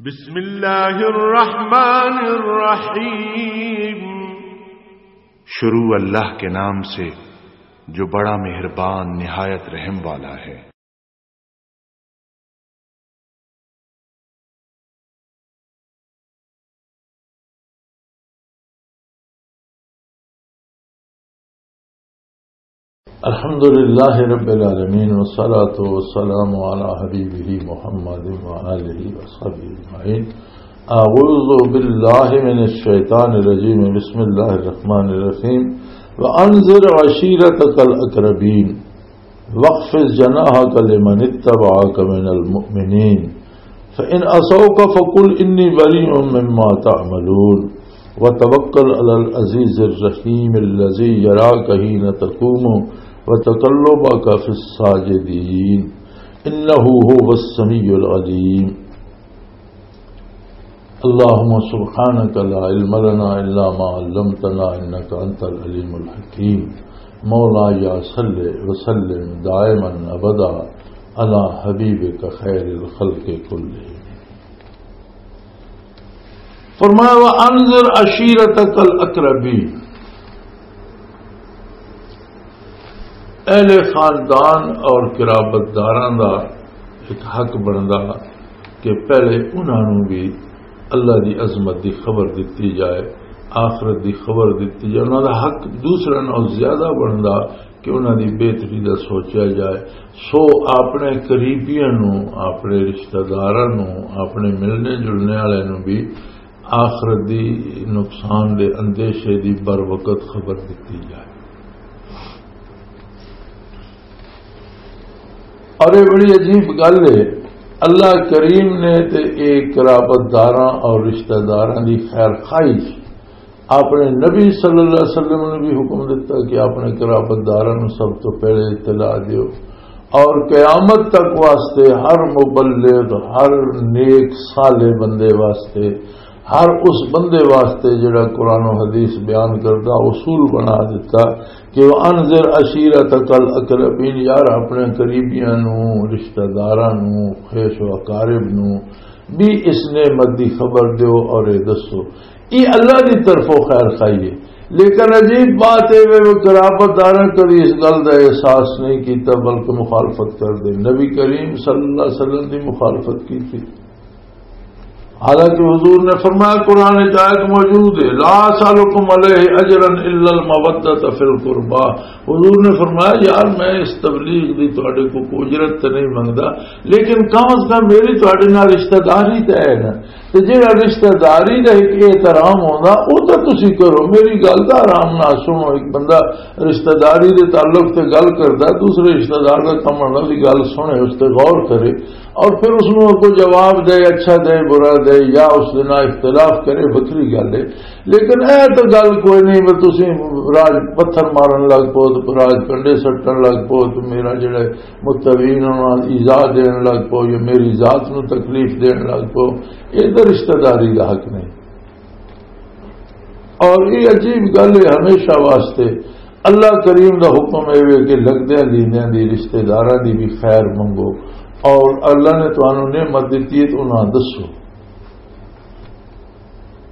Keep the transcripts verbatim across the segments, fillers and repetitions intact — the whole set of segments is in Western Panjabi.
بسم اللہ الرحمن الرحیم۔ شروع اللہ کے نام سے، جو بڑا مہربان، نہایت رحم والا ہے۔ الحمد لله رب العالمين، والصلاة والسلام على حبيبه محمد وآله وصحبه أجمعين. أعوذ بالله من الشيطان الرجيم. بسم الله الرحمن الرحيم. وأنذر عشيرتك الأقربين. واخفض جناحك لمن اتبعك من المؤمنين. فإن عصوك فقل إني بريء مما تعملون. وتوكل على العزيز الرحيم الذي يراك حين تقوم وتقلبك في الساجدين. إنه هو السميع العليم. اللهم سبحانك لا علم لنا إلا ما علمتنا إنك أنت العليم الحكيم. مولاي صل وسلم دائما أبدا على حبيبك خير الخلق كلهم. فرمایا، وَأَنذِرْ عَشِيرَتَكَ الْأَقْرَبِينَ۔ اہل خاندان اور قرابت داراں دا ایک حق بندا کہ پہلے انہاں نوں بھی اللہ دی عظمت دی خبر دتی جائے، آخرت دی خبر دتی جائے۔ انہاں دا حق دوسرے نال زیادہ بندا کہ انہاں دی بہتری دا سوچیا جائے۔ سو اپنے قریبیاں نوں، اپنے رشتہ داراں نوں، اپنے ملنے جلنے والے نوں بھی آخرت دی نقصان دے اندیشے دی بر وقت خبر دتی جائے۔ اور یہ بڑی عجیب گل ہے، اللہ کریم نے تے ایک قرابت داراں اور رشتہ داراں دی خیر خواہی اپنے نبی صلی اللہ علیہ وسلم نے بھی حکم دیتا کہ اپنے قرابت داراں نوں سب تو پہلے اطلاع دیو۔ اور قیامت تک واسطے ہر مبلغ، ہر نیک صالح بندے واسطے، ہر اس بندے واسطے جڑا قرآن و حدیث بیان کردا، اصول بنا دیتا کہ وَأَنذِرْ عَشِيرَتَكَ الْأَقْرَبِينَ، یار اپنے قریبیاں نوں، رشتہ داراں نوں، خیش و اقارب نوں بھی اس نعمت دی خبر دیو اور اے دسو۔ یہ اللہ دی طرفوں خیر خواہی ہے۔ لیکن عجیب بات اے وے، وہ قرابت داراں کبھی اس گل دا احساس نہیں کیتا، بلکہ مخالفت کر دے۔ نبی کریم صلی اللہ علیہ وسلم دی مخالفت کی تھی۔ حالانکہ حضور نے فرمایا، قرآن وچ آیت موجود ہے، "لا اسألکم علیہ اجرا الا المودۃ فی القربی۔" حضور نے فرمایا، یار میں اس تبلیغ دی تہاڈے کو کوئی اجرت تے نہیں منگدا، لیکن کم از کم میری تہاڈے نال رشتہ داری تے ہے نا۔ تے جیڑا رشتہ داری دا ایک احترام ہوندا، او تاں تسی کرو، میری گل دا آرام نال سنو۔ ایک بندہ رشتہ داری دے تعلق تے گل کردا، دوسرے رشتہ دار دا کم ہوندا دی گل سنے، اس تے غور کرے، اور پھر اس نوں کوئی جواب دے، اچھا دے، برا دے، یا اس دے نال اختلاف کرے، وکھری گل ہے۔ لیکن اے تاں گل کوئی نہیں، بس تسی راج پتھر مارن لگ پو، تے راج کنڈے سٹن لگ پو، تے میرا جڑا متبعین نوں ایذا دین لگ پو یا میری ذات نوں تکلیف دین لگ پو، اے تے رشتہ داری دا حق نہیں۔ اور یہ عجیب گل ہے، ہمیشہ واسطے اللہ کریم دا حکم اے وے کہ لگدیاں لیندیاں دی رشتہ داراں دی بھی خیر منگو، اور اللہ نے تانوں نعمت دتی ہے تو انہاں دسو۔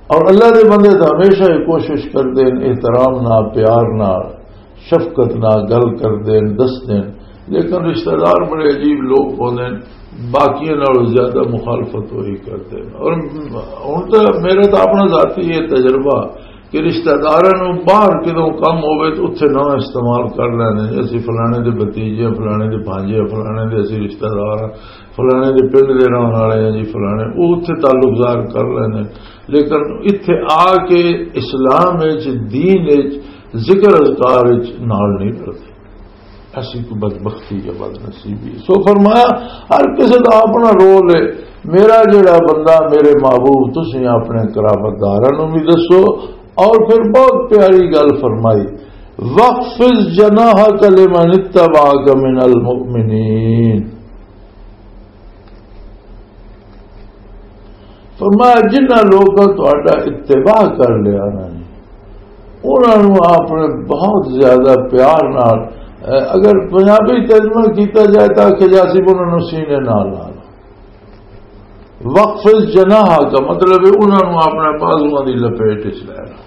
اور اللہ دے بندے تو ہمیشہ یہ کوشش کردے ہیں، احترام نال، پیار نال، شفقت نال گل کردے ہیں، دسدے ہیں، لیکن رشتہ دار بڑے عجیب لوگ ہوندے ہیں، باقیاں نالوں زیادہ مخالفت وہی کردے ہیں۔ اور ہن تو میرا تو اپنا ذاتی یہ تجربہ کہ رشتہ داراں نوں باہر کدوں کم ہووے تے اتھے نہ استعمال کر لیندے ہیں، اسی فلانے دے بھتیجے، فلانے دے بھانجے، فلانے دے اسی رشتہ دار ہیں، فلانے دے پنڈ دے رہن والے ہیں جی فلانے، وہ اتھے تعلق ظاہر کر لیندے ہیں۔ لیکن اتھے آ کے اسلام وچ، دین وچ، ذکر اذکار وچ نال نہیں رلدے۔ ایسی کوئی بدبختی یا بدنصیبی۔ سو فرمایا، ہر کسی دا اپنا رول ہے۔ میرا جڑا بندہ، میرے محبوب، تسی اپنے قرابت داراں نوں بھی دسو۔ اور پھر بہت پیاری گل فرمائی، "واخفض جناحک لمن اتبعک من المؤمنین۔" فرمایا، جنہاں لوکاں تہاڈا اتباع کر لیا نا جی، انہاں نوں آپ نے بہت زیادہ پیار نال، اگر پنجابی ترجمہ کیتا جائے تاں آکھیا جا سی انہاں نوں سینے نال لا لو۔ وقف جناح کا مطلب ہے انہاں نوں اپنے بازواں دی لپیٹ وچ لے لو۔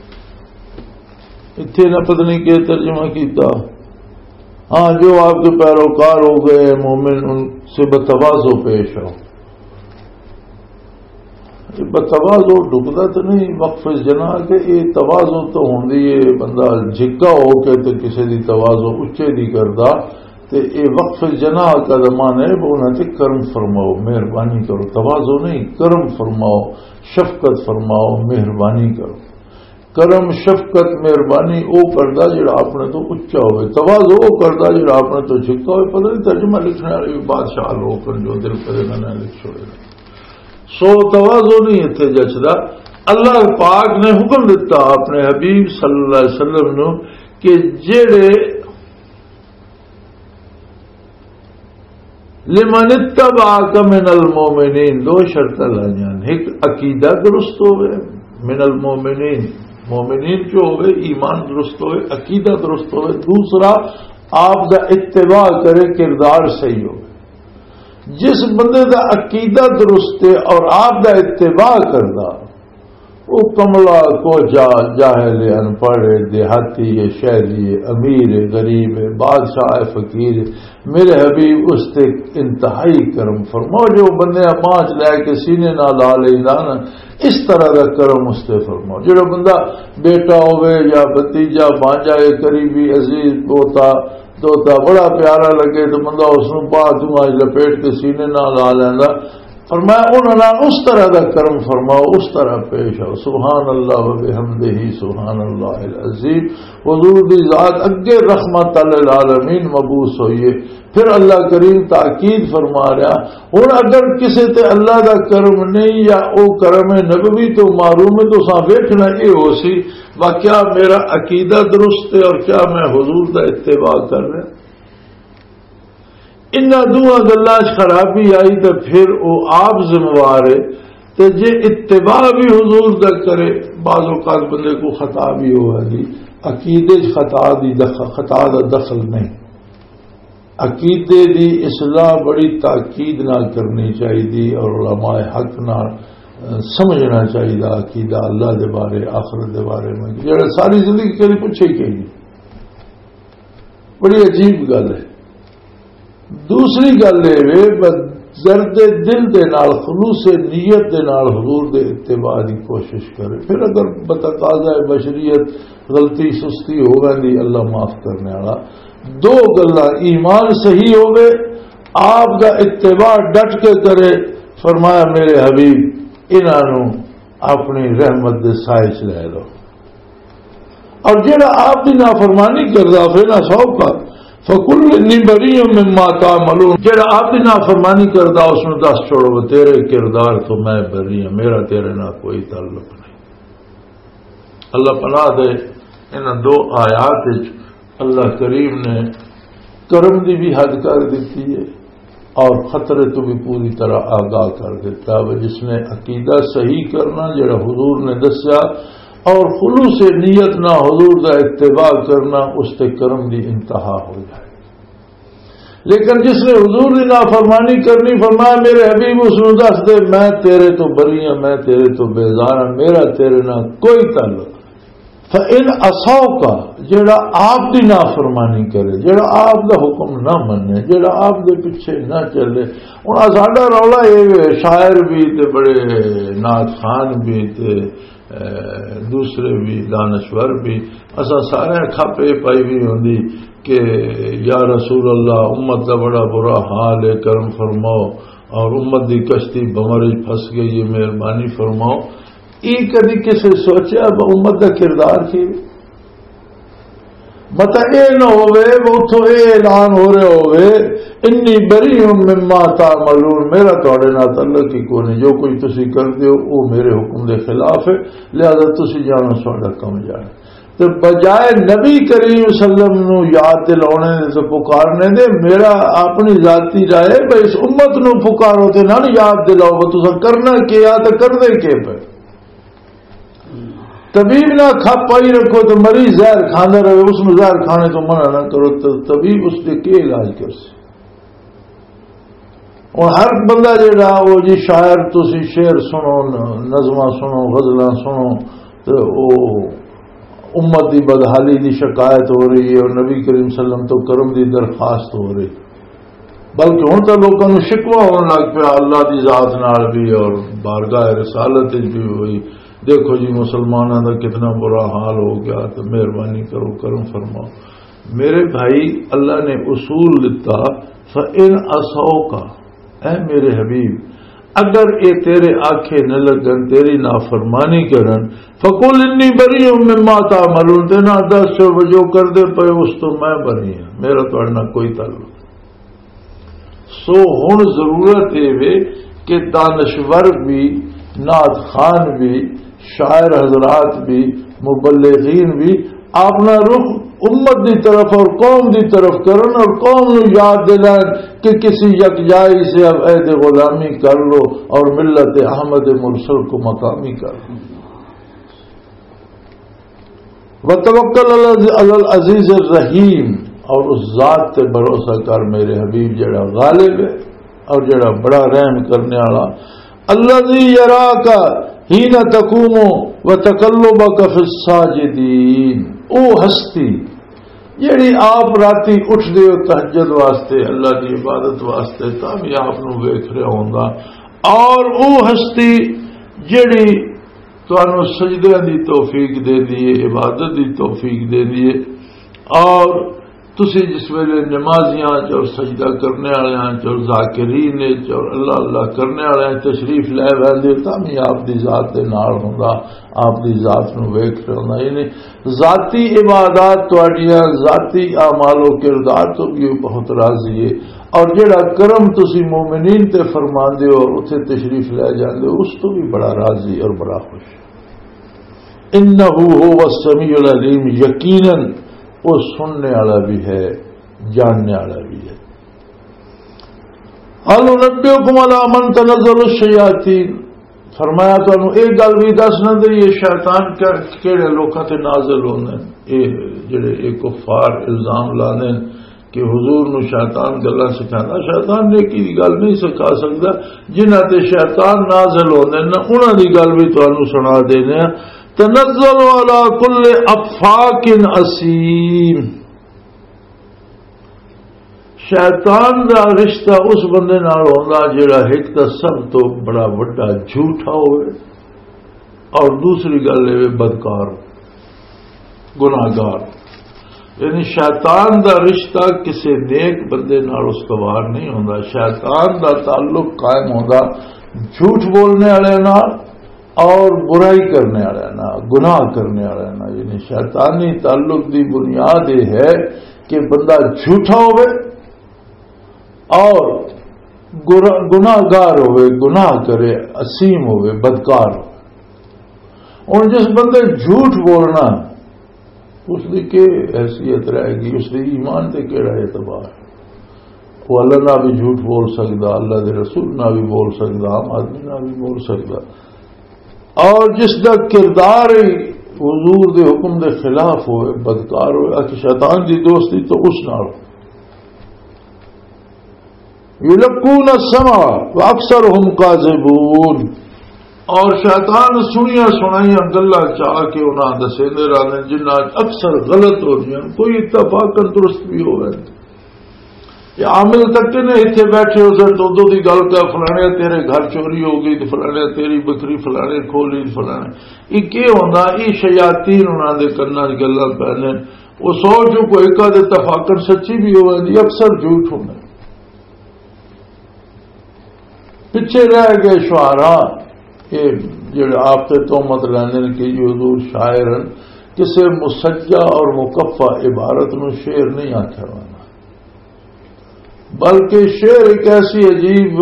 اتھے نہ پتہ نہیں کیا ترجمہ کیتا۔ ہاں، جو آپ کے پیروکار ہو گئے مومن، ان سے بتواضع پیش آؤ۔ یہ بتواضع ڈکدا تو نہیں، وقف جناح کے یہ تواضع تو ہوندی ہے، بندہ جھکا ہو کے تے کسے دی تواضع اچے دی کردا، تے اے وقف جناح کا زمانہ ہے، وہ انہاں تے کرم فرماؤ، مہربانی کرو، تواضع نہیں، کرم فرماؤ، شفقت فرماؤ، مہربانی کرو۔ کرم، شفقت، مہربانی او کردا جڑا اپنے تو اچا ہوئے، تواضع او کردا جڑا اپنے تو جھکا ہوئے۔ پتہ نہیں ترجمہ لکھنے والے بھی بادشاہ لوگ ہیں جو دل کرے نہ لکھ چھوڑے۔ سو تواضع نہیں اتھے جچدا۔ اللہ پاک نے حکم دتا اپنے حبیب صلی اللہ علیہ وسلم نو کہ جڑے لمن اتبعک من المؤمنین، دو شرطاں لائیاں نے۔ ایک عقیدہ درست ہوئے، من المؤمنین، مومنین جو ہوئے، ایمان درست ہوئے، عقیدہ درست ہوئے۔ دوسرا، آپ دا اتباع کرے، کردار صحیح ہوئے۔ جس بندے دا عقیدہ درست ہے اور آپ دا اتباع کردا، وہ کملا، کوجا، جاہل، ان پڑھ، دیہاتی، شہری، امیر، غریب، بادشاہ، فقیر، میرے حبیب اس تے انتہائی کرم فرماؤ۔ جو بندے پانچ لے کے سینے نال لا لیندا نا، اس طرح دا کرم اس تے فرماؤ۔ جڑا بندہ بیٹا ہوے یا بھتیجا، بانجا، اے قریبی، عزیز، پوتا، دوتا بڑا پیارا لگے تو بندہ اس نوں پا دوں اج لپیٹ کے سینے نال لا لیندا۔ فرمایا، انہاں نال اس طرح دا کرم فرماؤ، اس طرح پیش آؤ۔ سبحان اللہ و بحمدہ، سبحان اللہ العظیم۔ حضور دی ذات اگے رحمت للعالمین مبعوث ہوئی ہے۔ پھر اللہ کریم تاکید فرما رہا، ہن اگر کسے تے اللہ دا کرم نہیں یا او کرم نبوی تو محروم ہے، تو اساں ویکھنا اے ہو سی، واقعہ میرا عقیدہ درست ہے اور کیا میں حضور دا اتباع کر رہا؟ انہاں دوواں گلاں 'چ خرابی آئی تے پھر او آپ ذمہ وار ہے۔ تے جے اتباع بھی حضور دا کرے، بعض اوقات بندے کو خطا بھی ہوئے گی۔ عقیدے 'چ خطا دی دخل، خطا دا دخل نہیں۔ عقیدے دی اصلاح بڑی تاکید نال کرنی چاہیے اور علماء حق نال، اہ، سمجھنا چاہیے عقیدہ اللہ دے بارے، آخرت دے بارے میں، جڑا ساری زندگی کدی پوچھے ہی کہیں نہیں۔ بڑی عجیب گل ہے۔ دوسری گل یہ وے، بس درد دل دے نال، خلوص نیت دے نال حضور دے اتباع دی کوشش کرے۔ پھر اگر بتقاضا بشریت غلطی سستی ہو ویندی، اللہ معاف کرنے والا۔ دو گلاں، ایمان صحیح ہوے، آپ دا اتباع ڈٹ کے کرے۔ فرمایا، میرے حبیب، انہاں نوں اپنی رحمت دے سائے چ لے لو۔ اور جڑا آپ دی نافرمانی کردا، فینا سو کا، فکل انی بری مما تعملون، جڑا آپ دی نافرمانی کردا، اس نوں دس چھوڑو، تیرے کردار تو میں بری ہاں، میرا تیرے نال کوئی تعلق نہیں۔ اللہ پناہ دے، انہاں دو آیات وچ اللہ کریم نے کرم دی بھی حد کر دیتی ہے اور خطرے تو بھی پوری طرح آگاہ کر دیتا ہے۔ جس نے عقیدہ صحیح کرنا، جڑا حضور نے دسیا، اور خلوص نیت نہ حضور دا اتباع کرنا، اس تے کرم دی انتہا ہو جائے۔ لیکن جس نے حضور دی نافرمانی کرنی، فرمایا، میرے حبیب، اس نوں دس دے، میں تیرے تو بری ہاں، میں تیرے تو بیزار ہاں، میرا تیرے نال کوئی تعلق نہیں۔ فَإِنْ عَصَوْكَ، جڑا آپ دی نافرمانی کرے، جڑا آپ دا حکم نہ منے، جڑا آپ دے پیچھے نہ چلے۔ ہن ساڈا رولا اے وے، شاعر بھی تے بڑے نعت خوان بھی تے، اے، دوسرے بھی دانشور بھی، اساں سارے کھپ اے پائی ہوئی ہوندی کہ یا رسول اللہ، امت دا بڑا برا حال ہے، کرم فرماؤ، اور امت دی کشتی بمر وچ پھس گئی ہے، مہربانی فرماؤ۔ یہ کدی کسے سوچیا ب-، امت دا کردار کی؟ مطلب یہ نہ ہوئے وہ اتھوں یہ اعلان ہو رہا ہوئے، انی بری مما تعملون، میرا تھوڑے نال تعلق ہی کوئی نہیں، جو کچھ تسی کر دیو وہ میرے حکم دے خلاف ہے، لہذا تسی جانو، ساڈا کم جانا۔ تے بجائے نبی کریم صلی اللہ علیہ وسلم نو یاد دلاونے دے تے پکارنے دے، میرا اپنی ذاتی رائے ہے، بھئی اس امت نو پکارو تے نال یاد دلاؤ، بھئی تساں کرنا کیا تے کردے کے پے۔ طبیب نہ کھپ پائی رکھو تے مریض زہر کھاندا رہے، اس نو زہر کھانے تو منع نہ کرو، تے طبیب اس دے کے علاج کر سی؟ ہن ہر بندہ جڑا، او جی شاعر، تسی شعر سنو، ن-، نظماں سنو، غزلاں سنو، تے او امت دی بدحالی دی شکایت ہو رہی ہے اور نبی کریم صلی اللہ علیہ وسلم تو کرم دی درخواست ہو رہی، بلکہ ہن تاں لوکاں نوں شکوہ ہون لگ پیا اللہ دی ذات نال بھی اور بارگاہ رسالت وچ بھی ہوئی۔ دیکھو جی، مسلماناں دا کتنا برا حال ہو گیا، تے مہربانی کرو، کرم فرماؤ۔ میرے بھائی، اللہ نے اصول دتا، فَإِنْ عَصَوْكَ، اے میرے حبیب، اگر اے تیرے آکھے نہ لگن، تیری نافرمانی کرن، فَقُلْ إِنِّي بَرِيءٌ مِّمَّا تَعْمَلُونَ، تے نہ دس، جو کردے پئے اس تو میں بری ہاں، میرا تہاڈے نال کوئی تعلق۔ سو ہن ضرورت اے وے کہ دانشور بھی، نعت خوان بھی، شاعر حضرات بھی، مبلغین بھی اپنا رخ امت دی طرف اور قوم دی طرف کرن اور قوم نو یاد دلائن کہ کسی یکجائی سے اب عہد غلامی کر لو اور ملت احمد مرسل کو مقامی کر لو۔ وتوکل علی العزیز الرحیم، اور اس ذات تے بھروسہ کر میرے حبیب، جڑا غالب ہے اور جڑا بڑا رحم کرنے والا۔ الذی یراک حین تقوم و تقلبک فی الساجدین، او ہستی جڑی آپ راتی اٹھدے ہو تہجد واسطے، اللہ دی عبادت واسطے، تاں بھی آپ نو ویکھ رہا ہوندا۔ اور او ہستی جڑی تانوں سجدیاں دی توفیق دیندی ہے، عبادت دی توفیق دیندی ہے۔ اور تسی جس ویلے نمازیاں چ اور سجدہ کرنے والےاں چ اور ذاکرین چ اور اللہ اللہ کرنے والےاں چ تشریف لے ویندے ہو، تاں بھی آپ دی ذات دے نال ہوندا، آپ دی ذات نو ویکھ رہا ہوندا۔ یعنی ذاتی عبادات تہاڈیاں، ذاتی اعمال و کردار تو بھی بہت راضی ہے۔ اور جڑا کرم تسی مومنین تے فرماندے ہو اور اتھے تشریف لے جاندے ہو، اس تو بھی بڑا راضی اور بڑا خوش۔ انہ هو السمیع العلیم، یقیناً وہ سننے والا بھی ہے، جاننے والا بھی ہے۔ هل ننبئکم علی من تنزل الشیاطین، فرمایا، تانوں ایک گل بھی دس نہ دئیے، شیطان کہ-، کہڑے لوکاں تے نازل ہوندے نے؟ اے جڑے اے کفار الزام لاندے نے کہ حضور نو شیطان گلاں سکھاندا، شیطان نیکی دی گل نہیں سکھا سکدا۔ جنہاں تے شیطان نازل ہوندے نے، انہاں دی گل بھی تانوں سنا دینے آں۔ تنزل علی کل افاک اثیم۔ شیطان دا رشتہ اس بندے نال ہوندا جڑا ایک تاں سب تو بڑا وڈا جھوٹا ہوئے اور دوسری گل اے بدکار، گناہگار۔ یعنی شیطان دا رشتہ کسے نیک بندے نال استوار نہیں ہوندا۔ شیطان دا تعلق قائم ہوندا جھوٹ بولنے والے نال اور برائی کرنے والے نال، گناہ کرنے والے نال۔ یعنی شیطانی تعلق دی بنیاد یہ ہے کہ بندہ جھوٹا ہوئے اور گناہ گار ہوئے، گناہ کرے، اسیم ہوئے، بدکار ہوئے۔ ہن جس بندے جھوٹ بولنا، اس دی کی حیثیت رہ گئی؟ اس دے ایمان تے کیڑا اعتبار؟ وہ اللہ نہ بھی جھوٹ بول سکدا، اللہ دے رسول نہ بھی بول سکدا، عام آدمی نہ بھی بول سکدا۔ اور جس دا کردار ہی حضور دے حکم دے خلاف ہوئے، بدکار ہوئے، اچ شیطان دی دوستی تو اس نال۔ یلقون السمع واکثرهم کاذبون۔ اور شیطان سنیاں سنائیاں گلاں چا کے انہاں دسیندے رہندے، جنہاں اکثر غلط ہوندیاں، کوئی اتفاقاً درست بھی ہووے۔ یہ عامل تک نے اتھے بیٹھے ہو سن، دو دو دی گل کر، فلانے تیرے گھر چوری ہو گئی، تے فلانے تیری بکری فلانے کھو لی، فلانے۔ یہ کی ہوندا؟ یہ شیاطین انہاں دے کناں 'چ گلاں پے نے۔ وہ سو چوں کوئی ایک آدھے تفاقن سچی بھی ہوندی، اکثر جھوٹ ہوندے۔ پچھے رہ گئے شعراء، یہ جڑے آپ تے تہمت لیندے نے کہ یہ حضور شاعر ہیں، کسے مسجع اور مکفع عبارت نو شعر نہیں آکھیا ہوندا، بلکہ شعر ایک ایسی عجیب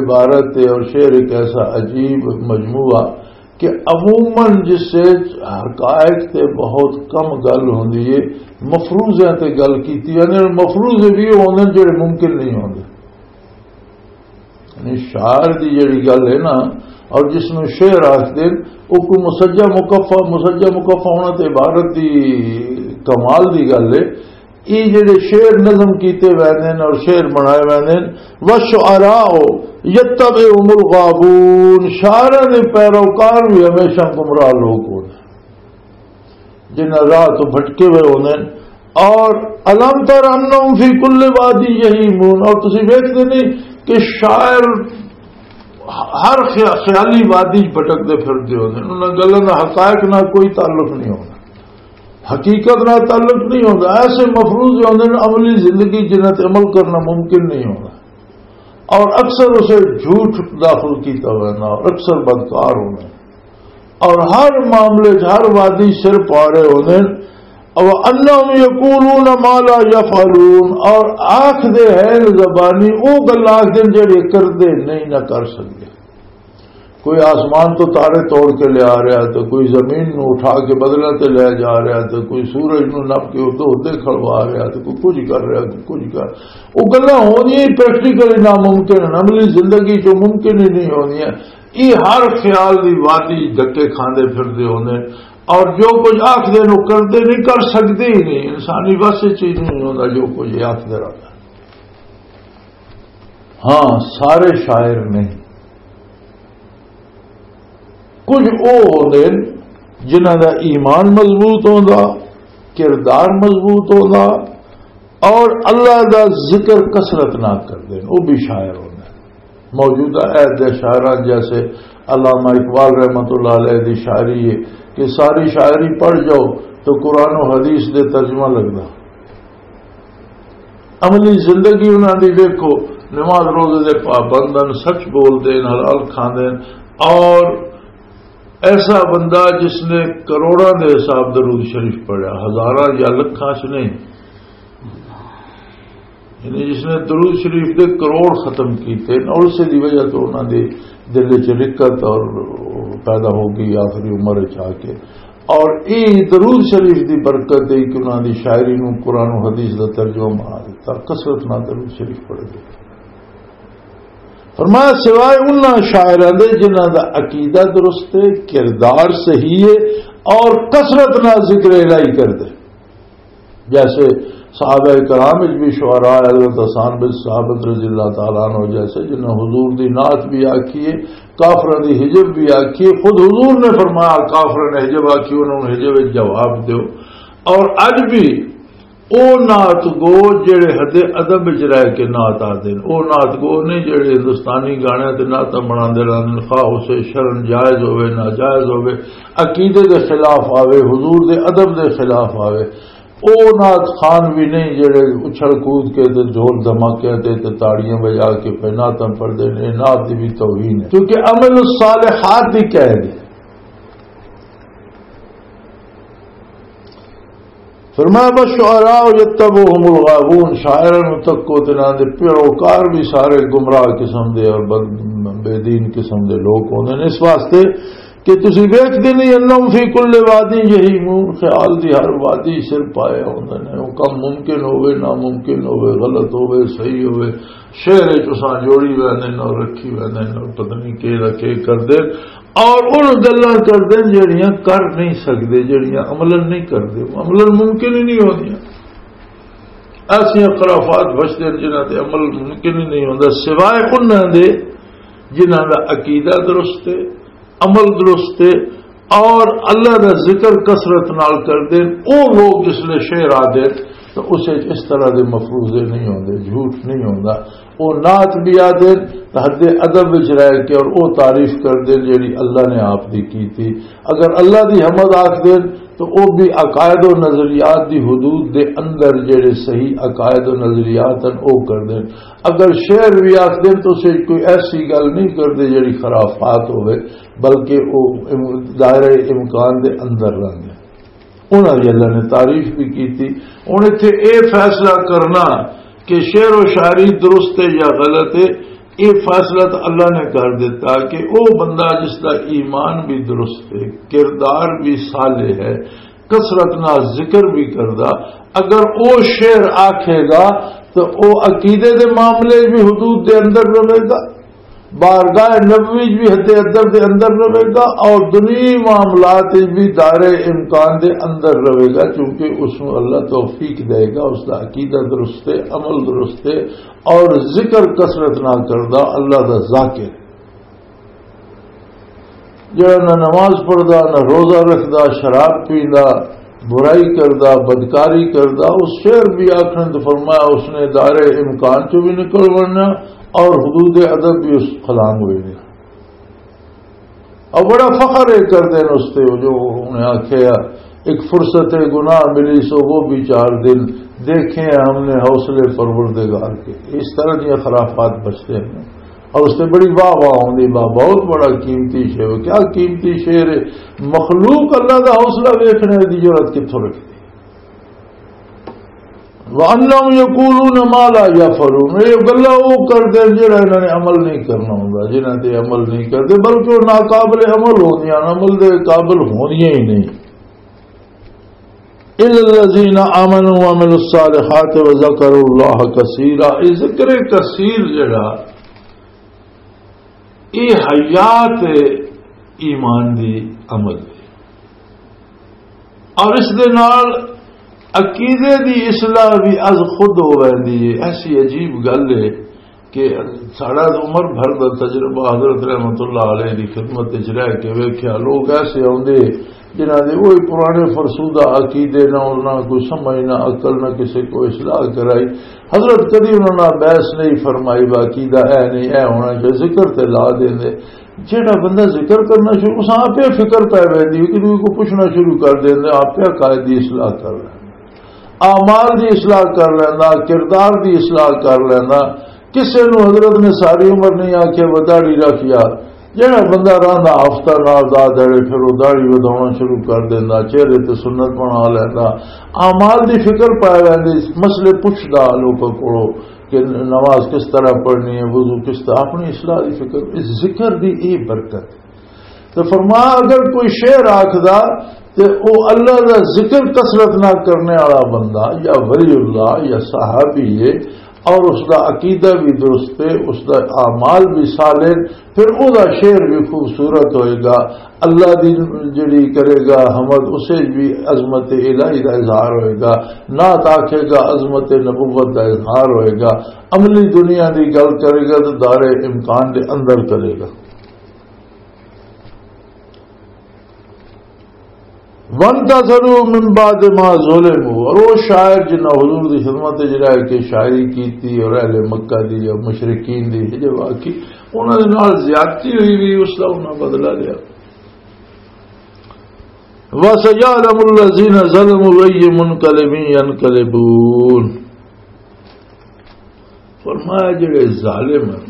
عبارت ہے اور شعر ایک ایسا عجیب مجموعہ کہ عموماً جس وچ حقائق تے بہت کم گل ہوندی ہے، مفروضیاں تے گل کیتی ویندی ہے۔ مفروضے بھی ہوندے نے جڑے ممکن نہیں ہوندے۔ یعنی شاعر دی جڑی گل ہے نا، اور جس نوں شعر آکھدے نے، او کوئی مسجع مکفع، مسجع مکفع ہونا تے عبارت دی کمال دی گل ہے یہ جڑے شعر نظم کیتے ویندے نے اور شعر بنائے ویندے نے، والشعراء یتبعهم الغاوون، شاعراں دے پیروکار بھی ہمیشہ گمراہ لوگ ہوندے، جنہاں راہ تو بھٹکے ہوئے ہوندے نے۔ اور الم تر انہم فی کل وادی یہیمون، اور تسی ویکھدے نہیں کہ شاعر ہر خیا-، خیالی وادی چ بھٹکدے پھردے ہوندے نے، انہاں گلاں دا حقائق نال کوئی تعلق نہیں ہوندا، حقیقت نال تعلق نہیں ہوندا۔ ایسے مفروض ہوندے نے عملی زندگی جنہاں تے عمل کرنا ممکن نہیں ہوندا، اور اکثر اسے جھوٹ داخل کیتا ہویا نا، اور اکثر بدکار ہوندے نے، اور ہر معاملے چ، ہر وادی سر پا رہے ہوندے نے۔ او انہم یقولون ما لا یفعلون، اور آکھ دے ہیں زبانی او گل آکھ دے جڑے کردے نہیں نہ کر سکدے۔ کوئی آسمان تو تارے توڑ کے لے آ رہا ہے، تو کوئی زمین نو اٹھا کے بدلہ تے لے جا رہا ہے، تو کوئی سورج نو نپ کے ادھر ادھر کھڑوا رہا ہے، تو کوئی کچھ کر رہا ہے، کوئی کچھ کر۔ وہ گلاں ہونیاں ہی پریکٹیکلی ناممکن ہیں، عملی زندگی چ ممکن ہی نہیں ہونیاں۔ یہ ہر خیال دی وادی دھکے کھاندے پھردے ہوندے، اور جو کچھ آکھدے نے، وہ کردے نہیں، کر سکدے ہی نہیں۔ انسانی بس یہ چیز نہیں ہوندا جو کچھ یہ آکھدے رہندا۔ ہاں، سارے شاعر نہیں، کچھ وہ ہوندے نے جنہاں دا ایمان مضبوط ہوندا، کردار مضبوط ہوندا، اور اللہ دا ذکر کثرت نہ کردے نے، وہ بھی شاعر ہوندے نے۔ موجودہ عہد دے شاعراں جیسے علامہ اقبال رحمت اللہ علیہ دی شاعری ہے کہ ساری شاعری پڑھ جاؤ تو قرآن و حدیث دے ترجمہ لگدا۔ عملی زندگی انہاں دی ویکھو، نماز روزے دے پابند ہن، سچ بول دے، حلال کھاندے، اور ایسا بندہ جس نے کروڑاں دے حساب درود شریف پڑھیا، ہزاراں یا لکھاں چ نہیں۔ یعنی جس نے درود شریف دے کروڑ ختم کیتے، اور اسے دی وجہ تو انہاں دے دل وچ رقت اور پیدا ہو گئی آخری عمر وچ آ کے۔ اور یہ درود شریف دی برکت ہے کہ انہاں دی شاعری نو قرآن و حدیث دا ترجمہ بنا دیتا، کثرت نال درود شریف پڑھے۔ فرمایا، سوائے انہاں شاعراں دے جنہاں دا عقیدہ درست ہے، کردار صحیح ہے اور کثرت نال ذکر الہی کردے، جیسے صحابہ کرام وچ بھی شعراء حضرت حسان بن ثابت رضی اللہ تعالیٰ عنہ جیسے، جنہاں حضور دی نعت بھی آکھی ہے، کافراں دی ہجب بھی آکھی ہے۔ خود حضور نے فرمایا، کافراں نے ہجب آکھی، انہاں نوں ہجب وچ جواب دیو۔ اور اج بھی او نعت گو جڑے حد ادب وچ رہ کے نعت آدے نے، او نعت گو نہیں جڑے ہندوستانی گانے تے نعتاں بناندے رہندے نے، خواہ اسے شرن جائز ہوے، ناجائز ہوے، عقیدے دے خلاف آوے، حضور دے ادب دے خلاف آوے۔ او نعت خوان بھی نہیں جڑے اچھل کود کے تے ڈھول دھماکے تے، تے تاڑیاں بجا کے پہ نعتاں پڑھدے نے، نعت دی بھی توہین ہے، کیونکہ عمل الصالحات دی قید ہے۔ فرمایا، والشعراء یتبعهم الغاوون، شاعراں نوں تکو تے انہاں دے پیروکار بھی سارے گمراہ قسم دے اور بد-، بے دین قسم دے لوگ ہوندے نے۔ اس واسطے کہ تسی ویکھدے نہیں، انہم فی کل وادی یہیمون، خیال دی ہر وادی سر پائے ہوندے نے۔ وہ کم ممکن ہوے، ناممکن ہوے، غلط ہوے، صحیح ہوے، شہر وچ اساں جوڑی ویندے نے اور رکھی ویندے نے اور پتہ نہیں کہڑا کے کردے اور ان گلاں کردے نے جڑیاں کر نہیں سکدے، جڑیاں عملاً نہیں کردے، عملاً ممکن ہی نہیں ہوندیاں۔ ایسیاں خرافات بچدے نے جنہاں تے عمل ممکن ہی نہیں ہوندا، سوائے انہاں دے جنہاں دا عقیدہ درست ہے، عمل درست ہے اور اللہ دا ذکر کثرت نال کردے نے۔ او لوگ جس لے شعر آدے تو اس وچ اس طرح دے مفروضے نہیں ہوندے، جھوٹ نہیں ہوندا۔ او نعت بھی آدے تے حد ادب وچ رہ کے اور او تعریف کردے جڑی اللہ نے آپ دی کیتی۔ اگر اللہ دی حمد آکھ دین تو او بھی عقائد و نظریات دی حدود دے اندر جڑے صحیح عقائد و نظریات ہیں او کر دین۔ اگر شعر بھی آکھ دین تو اسے کوئی ایسی گل نہیں کردے جڑی خرافات ہوئے، بلکہ او ام-، دائرہ امکان دے اندر رہندے۔ انہاں دی اللہ نے تعریف بھی کیتی۔ ہن ایتھے اے فیصلہ کرنا کہ شعر و شاعری درست ہے یا غلط ہے، اے فیصلہ تو اللہ نے کر دیتا کہ او بندہ جس دا ایمان بھی درست ہے، کردار بھی صالح ہے، کثرت نال ذکر بھی کردا، اگر او شعر آکھے گا تو او عقیدے دے معاملے بھی حدود دے اندر رہے گا، بارگاہ نبوی وچ بھی حد ادب دے اندر رہے گا اور دنیاوی معاملات وچ بھی دائرہ امکان دے اندر رہے گا، کیونکہ اس نوں اللہ توفیق دے گا، اس دا عقیدہ درست ہے، عمل درست ہے، اور ذکر کثرت نہ کردا، اللہ دا ذاکر۔ جڑا نہ نماز پڑھدا، نہ روزہ رکھدا، شراب پیندا، برائی کردا، بدکاری کردا، اس شعر بھی آکھن تو فرمایا، اس نے دائرہ امکان چوں بھی نکل ورنا اور حدود ادب بھی اس خلانگ ہوئی۔ اور بڑا فخر یہ کردے نے اس تے، جو انہیں آکھیا، ایک فرصت گناہ ملی سو وہ بھی چار دن، دیکھے ہم نے حوصلے پروردگار کے۔ اس طرح دیا خرافات بچتے ہیں۔ اور اس تے بڑی واہ واہ ہوندی، واہ، بہت بڑا قیمتی شعر۔ کیا قیمتی شعر ہے؟ مخلوق اللہ دا حوصلہ ویکھنے دی جرات کتھوں رکھدی؟ وَأَنَّهُمْ يَقُولُونَ مَا لَا يَفْعَلُونَ، یہ گلا وہ کردے جڑا انہاں نے عمل نہیں کرنا ہوندا، جنہاں تے عمل نہیں کردے، بلکہ وہ ناقابل عمل ہوندیاں، عمل دے قابل ہوندیاں ہی نہیں۔ إِلَّا الَّذِينَ آمَنُوا وَعَمِلُوا الصَّالِحَاتِ وَذَكَرُوا اللَّهَ كَثِيرًا۔ یہ ذکر کثیر جڑا، یہ حیات ایمان دی عمل ہے۔ اور اس دے نال عقیدے دی اصلاح بھی از خود ہو ویندی ہے۔ ایسی عجیب گل ہے کہ ساڑا عمر بھر دا تجربہ حضرت رحمت اللہ علیہ دی خدمت وچ رہ کے ویکھیا، لوگ ایسے آندے جنہاں دے وہی پرانے فرسودہ عقیدے، نہ انہاں کوئی سمجھ، نہ عقل، نہ کسے کو اصلاح کرائی۔ حضرت کدی انہاں نال بحث نہیں فرمائی، "با عقیدہ اے نہیں، اے ہونا چاہیے"، ذکر تے لا دیندے۔ جیڑا بندہ ذکر کرنا شروع، اساں آپے فکر پے ویندی ہے کہ کوئی کو پوچھنا شروع کر دیندے، آپے عقائد دی اصلاح کر لیندا، اعمال دی اصلاح کر لیندا، کردار دی اصلاح کر لیندا۔ کسے نو حضرت نے ساری عمر نہیں آکھیا، "وہ داڑھی رکھ یار۔" جیڑا بندہ رہندا ہفتہ نال دا دڑے، پھر وہ داڑھی ودھاونا شروع کر دیندا، چہرے تے سنت بنا لیندا، اعمال دی فکر پے ویندی، مسئلے پوچھدا لوکاں کولوں کہ نماز کس طرح پڑھنی ہے، وضو کس طرح، اپنی اصلاح دی فکر، اس ذکر دی یہ برکت۔ تو فرمایا، اگر کوئی شعر آکھدا تے او اللہ دا ذکر کثرت نہ کرنے والا بندہ یا ولی اللہ یا صحابی ہے، اور اس دا عقیدہ بھی درست ہے، اس دا اعمال بھی صالح، پھر او دا شعر بھی خوبصورت ہوئے گا۔ اللہ دی جڑی کرے گا حمد، اسے بھی عظمت الہی دا اظہار ہوئے گا۔ نعت آکھے گا، عظمت نبوت دا اظہار ہوئے گا۔ عملی دنیا دی گل کرے گا تو دار امکان دے اندر کرے گا۔ وَانْتَصَرُوا مِنْ بَعْدِ مَا ظُلِمُوا، اور وہ شاعر جنہاں حضور دی خدمت وچ رہ کے شاعری کیتی اور اہل مکہ دی یا مشرکین دی حجب آکی، انہاں دے نال زیادتی ہوئی بھی، اس دا انہاں بدلہ لیا۔ وَسَيَعْلَمُ الَّذِينَ ظَلَمُوا أَيُّ مُنْقَلَبٍ يَنْقَلِبُونَ۔ فرمایا، جڑے ظالم ہیں،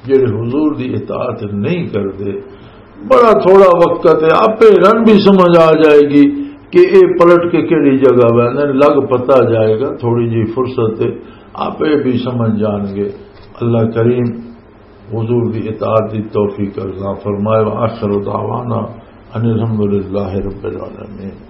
جڑے حضور دی اطاعت نہیں کردے، بڑا تھوڑا وقت ہے، آپے رن بھی سمجھ آ جائے گی کہ اے پلٹ کے کیڑی جگہ ویندے، لگ پتا جائے گا، تھوڑی جی فرصت ہے، آپے بھی سمجھ جان گے۔ اللہ کریم حضور دی اطاعت دی توفیق عطا فرمائے۔ وآخر دعوانا ان الحمدللہ رب العالمین۔